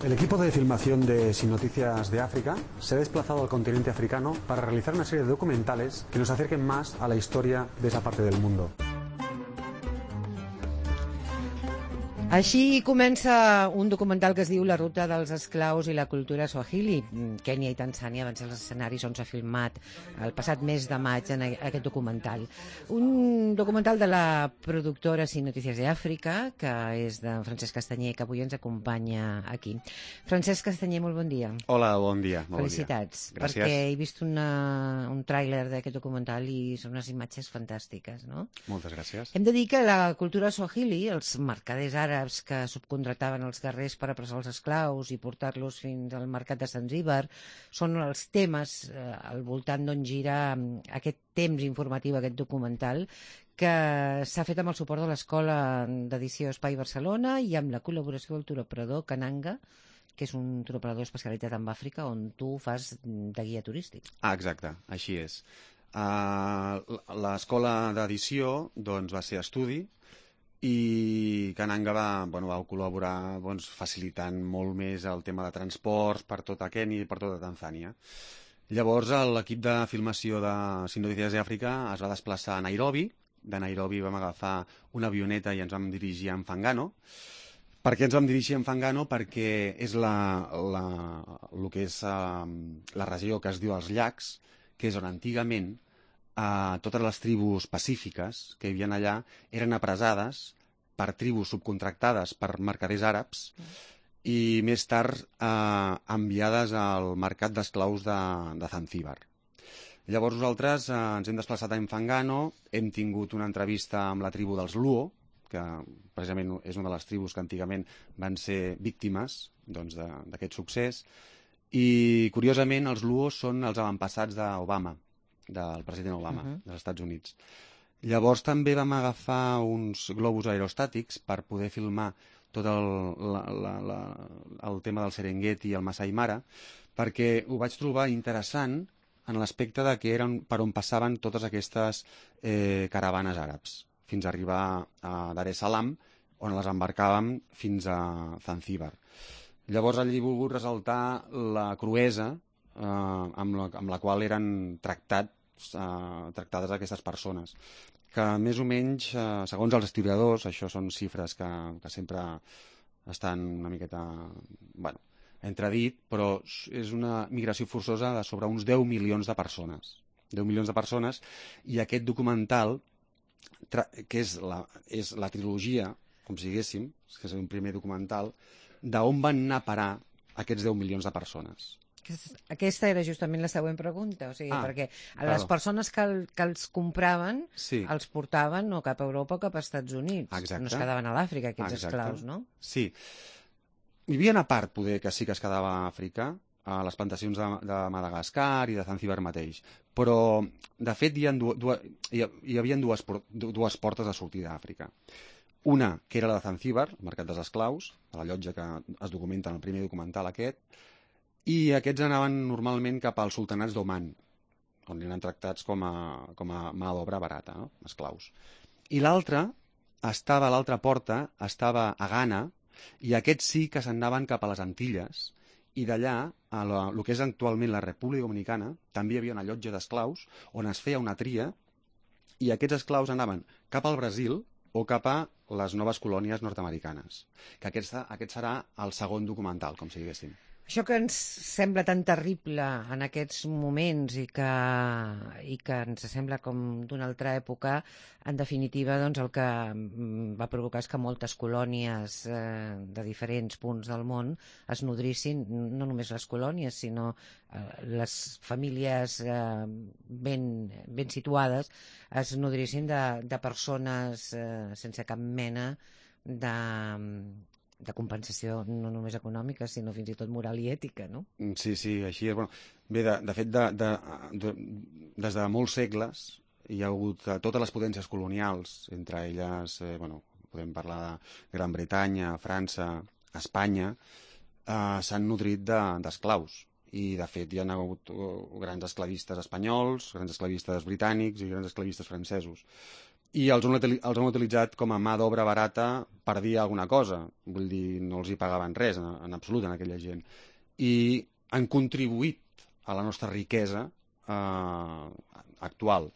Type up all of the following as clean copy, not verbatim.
El equipo de filmación de Sin Noticias de África se ha desplazado al continente africano para realizar una serie de documentales que nos acerquen más a la historia de esa parte del mundo. Així comença un documental que es diu La ruta dels esclaus i la cultura swahili. Kènia i Tanzània van ser els escenaris on s'ha filmat el passat mes de maig en aquest documental. Un documental de la productora Sin Noticias de Àfrica, que és de Francesc Castanyer, que avui ens acompanya aquí. Francesc Castanyer, molt bon dia. Hola, bon dia. Felicitats. Gràcies. Perquè he vist un tràiler d'aquest documental i són unes imatges fantàstiques, no? Moltes gràcies. Hem de dir que la cultura swahili, els mercaders àrabs que subcontractaven els guerrers per apressar els esclaus i portar-los fins al mercat de Zanzíbar, són els temes al voltant d'on gira aquest temps informatiu, aquest documental, que s'ha fet amb el suport de l'Escola d'Edició Espai Barcelona i amb la col·laboració del turoperador Kananga, que és un turoperador especialitzat en Àfrica, on tu fas de guia turístic. Exacte, així és. L'escola d'edició va ser estudi, i Kananga va col·laborar facilitant molt més el tema de transports per tota Kènia i per tota Tanzània. Llavors l'equip de filmació de Sin Noticias de Àfrica es va desplaçar a Nairobi. De Nairobi vam agafar una avioneta i ens vam dirigir a Mfangano. Per què ens vam dirigir a Mfangano? Perquè és el que és la regió que es diu els llacs, que és on antigament totes les tribus pacífiques que hi havia allà eren apressades per tribus subcontractades per mercaders àrabs i més tard enviades al mercat d'esclaus de Zanzíbar. Llavors nosaltres ens hem desplaçat a Mfangano, hem tingut una entrevista amb la tribu dels Luo, que precisament és una de les tribus que antigament van ser víctimes d'aquest succés, i curiosament els Luo són els avantpassats d'Obama, del president Obama, dels Estats Units. Llavors també vam agafar uns globus aerostàtics per poder filmar tot el tema del Serengeti i el Masai Mara, perquè ho vaig trobar interessant en l'aspecte de que eren per on passaven totes aquestes caravanes àrabs, fins a arribar a Dar es Salaam, on les embarcàvem fins a Zanzíbar. Llavors allí he volgut ressaltar la cruesa amb la qual eren tractades aquestes persones, que més o menys, segons els historiadors, això són xifres que sempre estan una miqueta entredit, però és una migració forçosa de sobre uns 10 milions de persones. 10 milions de persones, i aquest documental, que és la trilogia, com si diguéssim, que és un primer documental, d'on van anar a parar aquests 10 milions de persones. Aquesta era justament la següent pregunta, perquè les persones que els compraven els portaven o cap a Europa o cap als Estats Units. Exacte. No es quedaven a l'Àfrica, aquests esclaus, no? Sí. Hi havia una part, poder, que sí que es quedava a Àfrica, a les plantacions de Madagascar i de Zanzíbar mateix, però, de fet, hi havia dues portes de sortida d'Àfrica. Una, que era la de Zanzíbar, el mercat dels esclaus, de la llotja que es documenta en el primer documental aquest, i aquests anaven normalment cap als sultanats d'Oman, on eren tractats com a mà d'obra barata, no? Esclaus. I l'altra porta estava a Ghana, i aquests sí que s'anaven cap a les Antilles, i d'allà, a el que és actualment la República Dominicana, també hi havia una llotja d'esclaus on es feia una tria, i aquests esclaus anaven cap al Brasil o cap a les noves colònies nord-americanes. Que aquest serà el segon documental, com si diguéssim. Això que ens sembla tan terrible en aquests moments i que ens sembla com d'una altra època, en definitiva, doncs, el que va provocar és que moltes colònies de diferents punts del món es nodrissin, no només les colònies, sinó les famílies ben situades es nodrissin de persones sense cap mena de compensació, no només econòmica, sinó fins i tot moral i ètica, no? Sí, així és. Bé, de fet, des de molts segles hi ha hagut totes les potències colonials, entre elles, podem parlar de Gran Bretanya, França, Espanya, s'han nodrit d'esclaus. I, de fet, hi ha hagut grans esclavistes espanyols, grans esclavistes britànics i grans esclavistes francesos. i els han utilitzat com a mà d'obra barata per dir alguna cosa. Vull dir, no els hi pagaven res en absolut a aquella gent. I han contribuït a la nostra riquesa actual.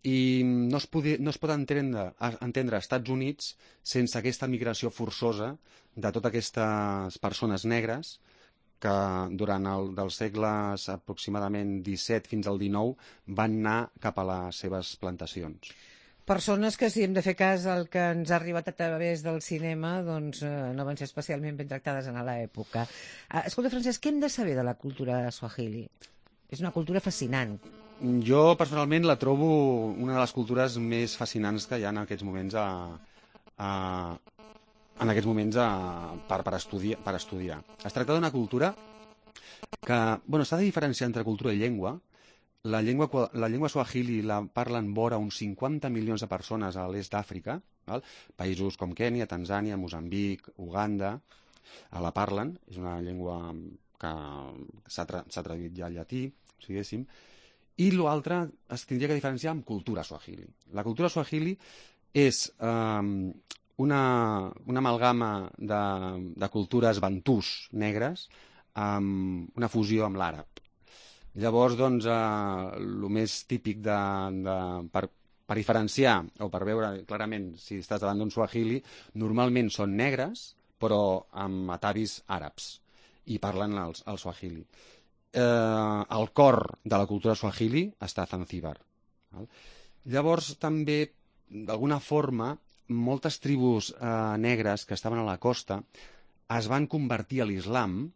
I no es pot entendre als Estats Units sense aquesta migració forçosa de totes aquestes persones negres que durant dels segles aproximadament 17 fins al 19 van anar cap a les seves plantacions. Persones que, si hem de fer cas al que ens ha arribat a través del cinema, doncs no van ser especialment ben tractades en l'època. Escolta, Francesc, què hem de saber de la cultura swahili? És una cultura fascinant. Jo, personalment, la trobo una de les cultures més fascinants que hi ha en aquests moments per estudiar. Es tracta d'una cultura que s'ha de diferenciar entre cultura i llengua. La llengua swahili la parlen vora uns 50 milions de persones a l'est d'Àfrica, països com Kènia, Tanzània, Moçambic, Uganda, la parlen. És una llengua que s'ha traduït ja al llatí, diguéssim. I l'altre es tindria que diferenciar amb cultura swahili. La cultura swahili és una amalgama de cultures bantús negres amb una fusió amb l'àrab. Llavors, doncs, el més típic per diferenciar o per veure clarament si estàs davant d'un swahili, normalment són negres, però amb atavis àrabs, i parlen el swahili. El cor de la cultura swahili està a Zanzíbar. Llavors, també, d'alguna forma, moltes tribus negres que estaven a la costa es van convertir a l'islam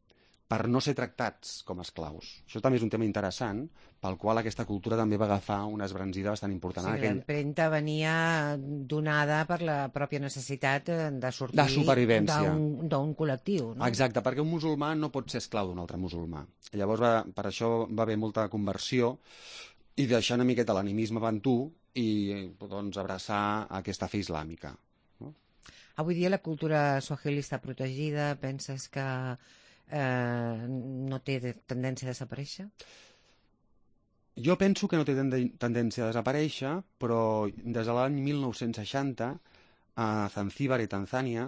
per no ser tractats com a esclaus. Això també és un tema interessant, pel qual aquesta cultura també va agafar una esbranzida bastant important. Sí, l'empremta venia donada per la pròpia necessitat de sortir de supervivència d'un col·lectiu. No? Exacte, perquè un musulmà no pot ser esclau d'un altre musulmà. Llavors, per això va haver molta conversió i deixar una miqueta l'animisme bantú i doncs, abraçar aquesta fe islàmica. No? Avui dia la cultura swahili està protegida, penses que no té tendència a desaparèixer? Jo penso que no té tendència a desaparèixer, però des de l'any 1960 a Zanzíbar i Tanzània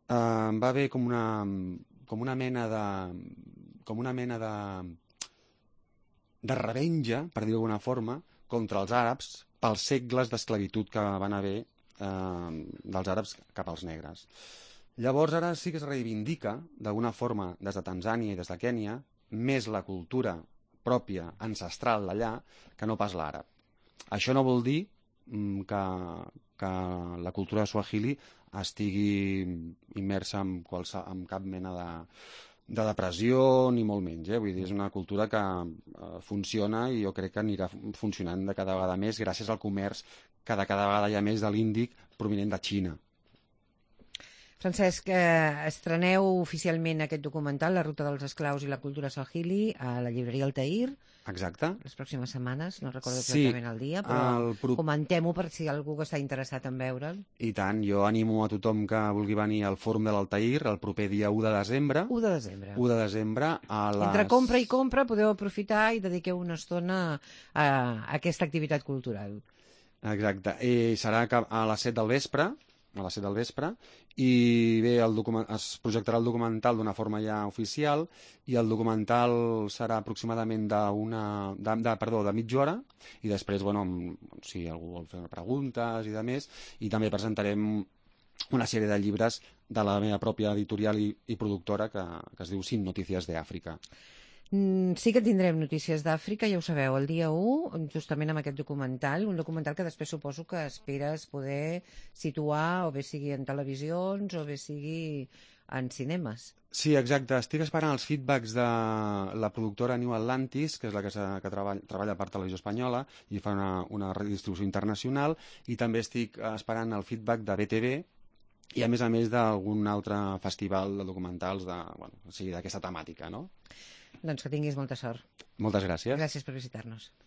va haver com una mena de revenja, per dir-ho d'alguna forma, contra els àrabs pels segles d'esclavitud que van haver dels àrabs cap als negres. Llavors ara sí que es reivindica, d'alguna forma, des de Tanzània i des de Kènia, més la cultura pròpia, ancestral d'allà, que no pas l'àrab. Això no vol dir que la cultura swahili estigui immersa en cap mena de depressió, ni molt menys. Vull dir, és una cultura que funciona i jo crec que anirà funcionant de cada vegada més gràcies al comerç que de cada vegada hi ha més de l'índic provinent de Xina. Francesc, estreneu oficialment aquest documental, La ruta dels esclaus i la cultura swahili, a la llibreria Altair. Exacte. Les pròximes setmanes, no recordo exactament el dia, però comentem-ho per si algú que està interessat en veure'l. I tant, jo animo a tothom que vulgui venir al Fòrum de l'Altair el proper dia 1 de desembre. 1 de desembre. 1 de desembre a les... Entre compra i compra podeu aprofitar i dediqueu una estona a aquesta activitat cultural. Exacte. I serà a les 7 del vespre, i bé, es projectarà el documental d'una forma ja oficial i el documental serà aproximadament de mitja hora i després, si algú vol fer preguntes i de més, i també presentarem una sèrie de llibres de la meva pròpia editorial i productora que es diu Sin Notícies de Àfrica. Sí que tindrem notícies d'Àfrica, ja ho sabeu, el dia 1, justament amb aquest documental, un documental que després suposo que esperes poder situar, o bé sigui en televisions, o bé sigui en cinemes. Sí, exacte. Estic esperant els feedbacks de la productora New Atlantis, que és la que treballa per Televisió Espanyola i fa una redistribució internacional, i també estic esperant el feedback de BTV, i a més d'algun altre festival de documentals d'aquesta temàtica, no? Doncs que tinguis molta sort. Moltes gràcies. Gràcies per visitar-nos.